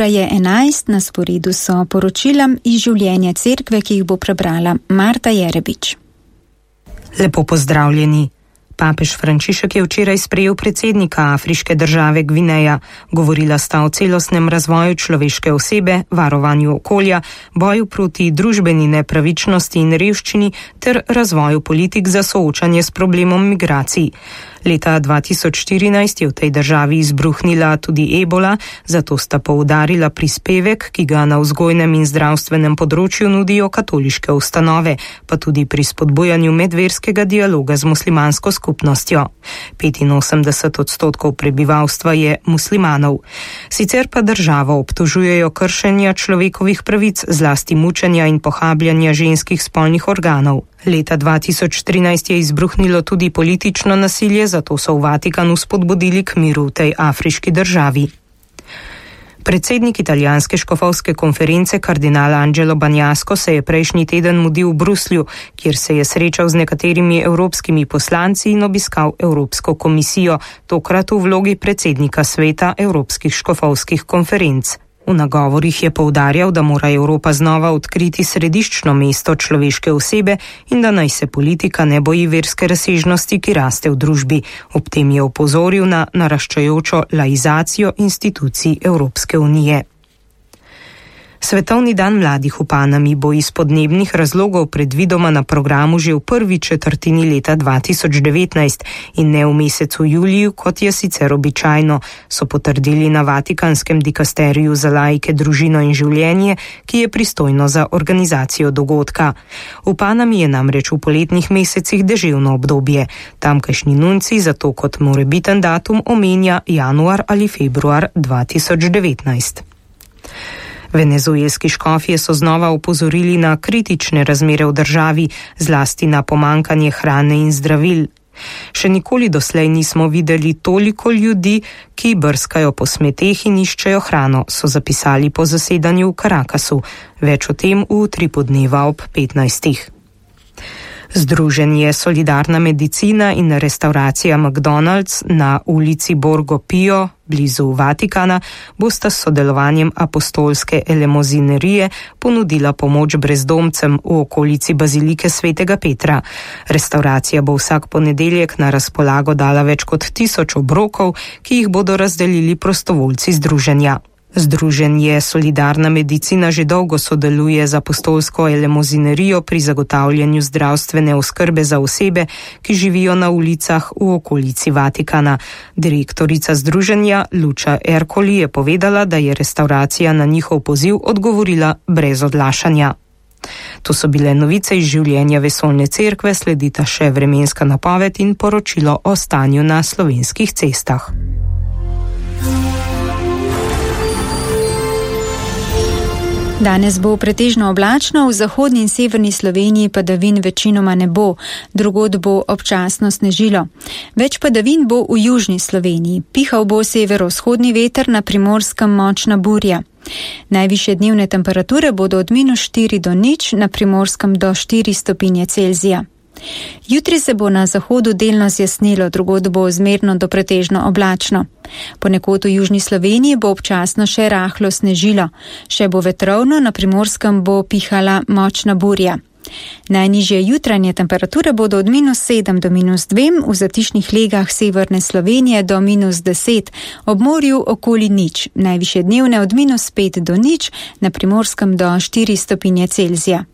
Ura je 11, na sporedu so poročila iz življenja cerkve, ki jih bo prebrala Marta Jerebič. Lepo pozdravljeni. Papež Frančišek je včeraj sprejel predsednika afriške države Gvineja. Govorila sta o celostnem razvoju človeške osebe, varovanju okolja, boju proti družbeni nepravičnosti in revščini ter razvoju politik za soočanje s problemom migracij. Leta 2014 je v tej državi izbruhnila tudi ebola, zato sta poudarila prispevek, ki ga na vzgojnem in zdravstvenem področju nudijo katoliške ustanove, pa tudi pri spodbujanju medverskega dialoga z muslimansko skupnostjo. 85% prebivalstva je muslimanov. Sicer pa državo obtožujejo kršenja človekovih pravic, zlasti mučenja in pohabljanja ženskih spolnih organov. Leta 2013 je izbruhnilo tudi politično nasilje, zato so v Vatikanu spodbudili k miru v tej afriški državi. Predsednik italijanske škofovske konference kardinal Angelo Bagnasco se je prejšnji teden mudil v Bruslju, kjer se je srečal z nekaterimi evropskimi poslanci in obiskal Evropsko komisijo, tokrat v vlogi predsednika sveta evropskih škofovskih konferenc. V nagovorih je poudarjal, da mora Evropa znova odkriti središčno mesto človeške osebe in da naj se politika ne boji verske razsežnosti, ki raste v družbi. Ob tem je opozoril na naraščajočo laizacijo institucij Evropske unije. Svetovni dan mladih v Panami bo iz podnebnih razlogov predvidoma na programu že v prvi četrtini leta 2019 in ne v mesecu juliju, kot je sicer običajno, so potrdili na Vatikanskem dikasteriju za laike, družino in življenje, ki je pristojno za organizacijo dogodka. V Panami je namreč v poletnih mesecih deževno obdobje. Tamkajšnji nunci zato kot morebiten datum omenja januar ali februar 2019. Venezuelski škofje so znova opozorili na kritične razmere v državi, zlasti na pomankanje hrane in zdravil. Še nikoli doslej nismo videli toliko ljudi, ki brskajo po smeteh in iščejo hrano, so zapisali po zasedanju v Caracasu. Več o tem v utripu dneva ob 15. Združenje Solidarna medicina in restauracija McDonald's na ulici Borgo Pio, blizu Vatikana, bosta s sodelovanjem apostolske elemozinerije ponudila pomoč brezdomcem v okolici bazilike svetega Petra. Restauracija bo vsak ponedeljek na razpolago dala več kot 1000 obrokov, ki jih bodo razdelili prostovoljci združenja. Združenje Solidarna medicina že dolgo sodeluje z apostolsko elemozinerijo pri zagotavljanju zdravstvene oskrbe za osebe, ki živijo na ulicah v okolici Vatikana. Direktorica združenja Luča Ercoli je povedala, da je restauracija na njihov poziv odgovorila brez odlašanja. To so bile novice iz življenja Vesoljne cerkve, sledita še vremenska napoved in poročilo o stanju na slovenskih cestah. Danes bo pretežno oblačno, v zahodni in severni Sloveniji padavin večinoma ne bo, drugod bo občasno snežilo. Več padavin bo v južni Sloveniji, pihal bo severovzhodni veter, na Primorskem močna burja. Najvišje dnevne temperature bodo od -4 do 0, na Primorskem do 4 stopinje Celzija. Jutri se bo na zahodu delno zjasnilo, drugod bo zmerno do pretežno oblačno. Ponekod v južni Sloveniji bo občasno še rahlo snežilo, še bo vetrovno, na Primorskem bo pihala močna burja. Najnižje jutranje temperature bodo od -7 do -2, v zatišnih legah severne Slovenije do -10, ob morju okoli 0, najvišje dnevne od -5 do 0, na Primorskem do 4 stopinje Celzija.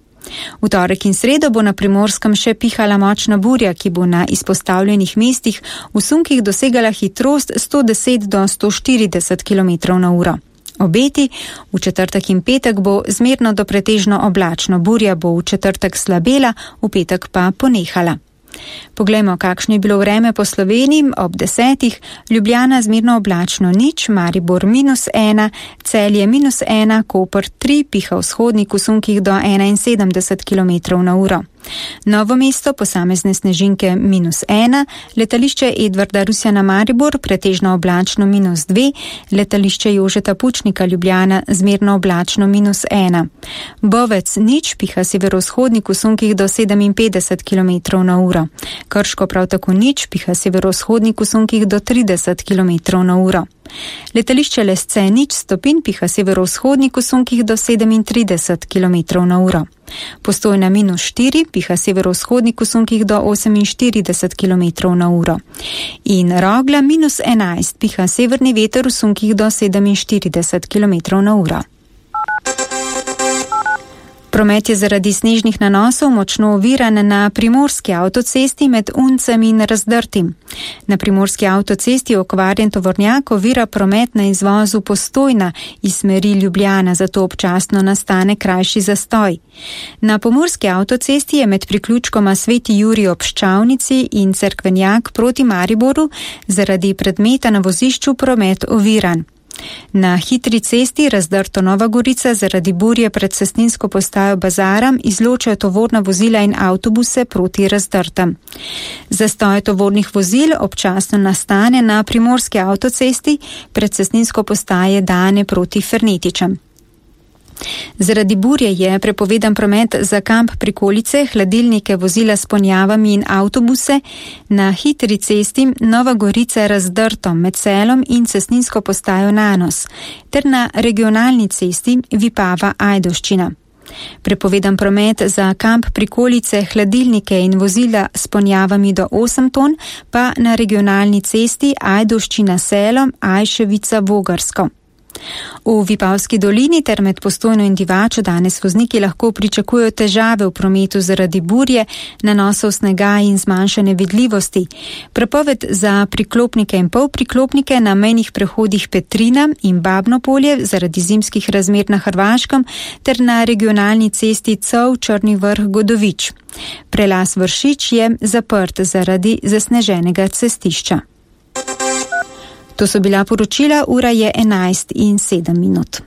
V torek in sredo bo na Primorskem še pihala močna burja, ki bo na izpostavljenih mestih v sunkih dosegala hitrost 110 do 140 km/h. Obeti: v četrtek in petek bo zmerno do pretežno oblačno, burja bo v četrtek slabela, v petek pa ponehala. Poglejmo, kakšno je bilo vreme po Sloveniji ob 10. Ljubljana zmerno oblačno 0, Maribor -1, Celje -1, Koper 3, piha vzhodnik v sunkih do 71 km/h. Novo Mesto posamezne snežinke -1, letališče Edvarda Rusjana Maribor pretežno oblačno -2, letališče Jožeta Pučnika Ljubljana zmerno oblačno -1. Bovec nič piha severovzhodnik v sunkih do 57 km/h. Krško prav tako nič piha severovzhodnik v sunkih do 30 km/h. Letališče Lesce nič stopinj piha severovzhodnik v sunkih do 37 km/h. Postojna -4 piha severovzhodnik v sunkih do 48 km/h. In Rogla -11 piha severni veter v sunkih do 47 km/h. Promet je zaradi snežnih nanosov močno oviran na primorski avtocesti med Uncem in Razdrtim. Na primorski avtocesti okvarjen tovornjak ovira promet na izvozu Postojna iz smeri Ljubljana, zato občasno nastane krajši zastoj. Na pomurski avtocesti je med priključkoma Sveti Jurij ob Ščavnici in Cerkvenjak proti Mariboru zaradi predmeta na vozišču promet oviran. Na hitri cesti Razdrto Nova Gorica zaradi burje pred cestninsko postajo Bazaram izločajo tovorna vozila in avtobuse proti Razdrtam. Zastoj tovornih vozil občasno nastane na primorski avtocesti pred cestninsko postaje Dane proti Fernetičem. Zaradi burje je prepovedan promet za kamp Prikolice, hladilnike, vozila s ponjavami in avtobuse na hitri cesti Nova Gorica Razdrto med Selom in cestninsko postajo Nanos ter na regionalni cesti Vipava Ajdovščina. Prepovedan promet za kamp Prikolice, hladilnike in vozila s ponjavami do 8 ton pa na regionalni cesti Ajdovščina Selo, Ajševica Vogarsko. V Vipavski dolini ter med Postojno in Divačo danes vozniki lahko pričakujejo težave v prometu zaradi burje, nanosov snega in zmanjšane vidljivosti. Prepoved za priklopnike in polpriklopnike na mejnih prehodih Petrina in Babno polje zaradi zimskih razmer na Hrvaškem ter na regionalni cesti Cov Črni Vrh Godovič. Prelaz Vršič je zaprt zaradi zasneženega cestišča. To so bila poročila, ura je 11:07.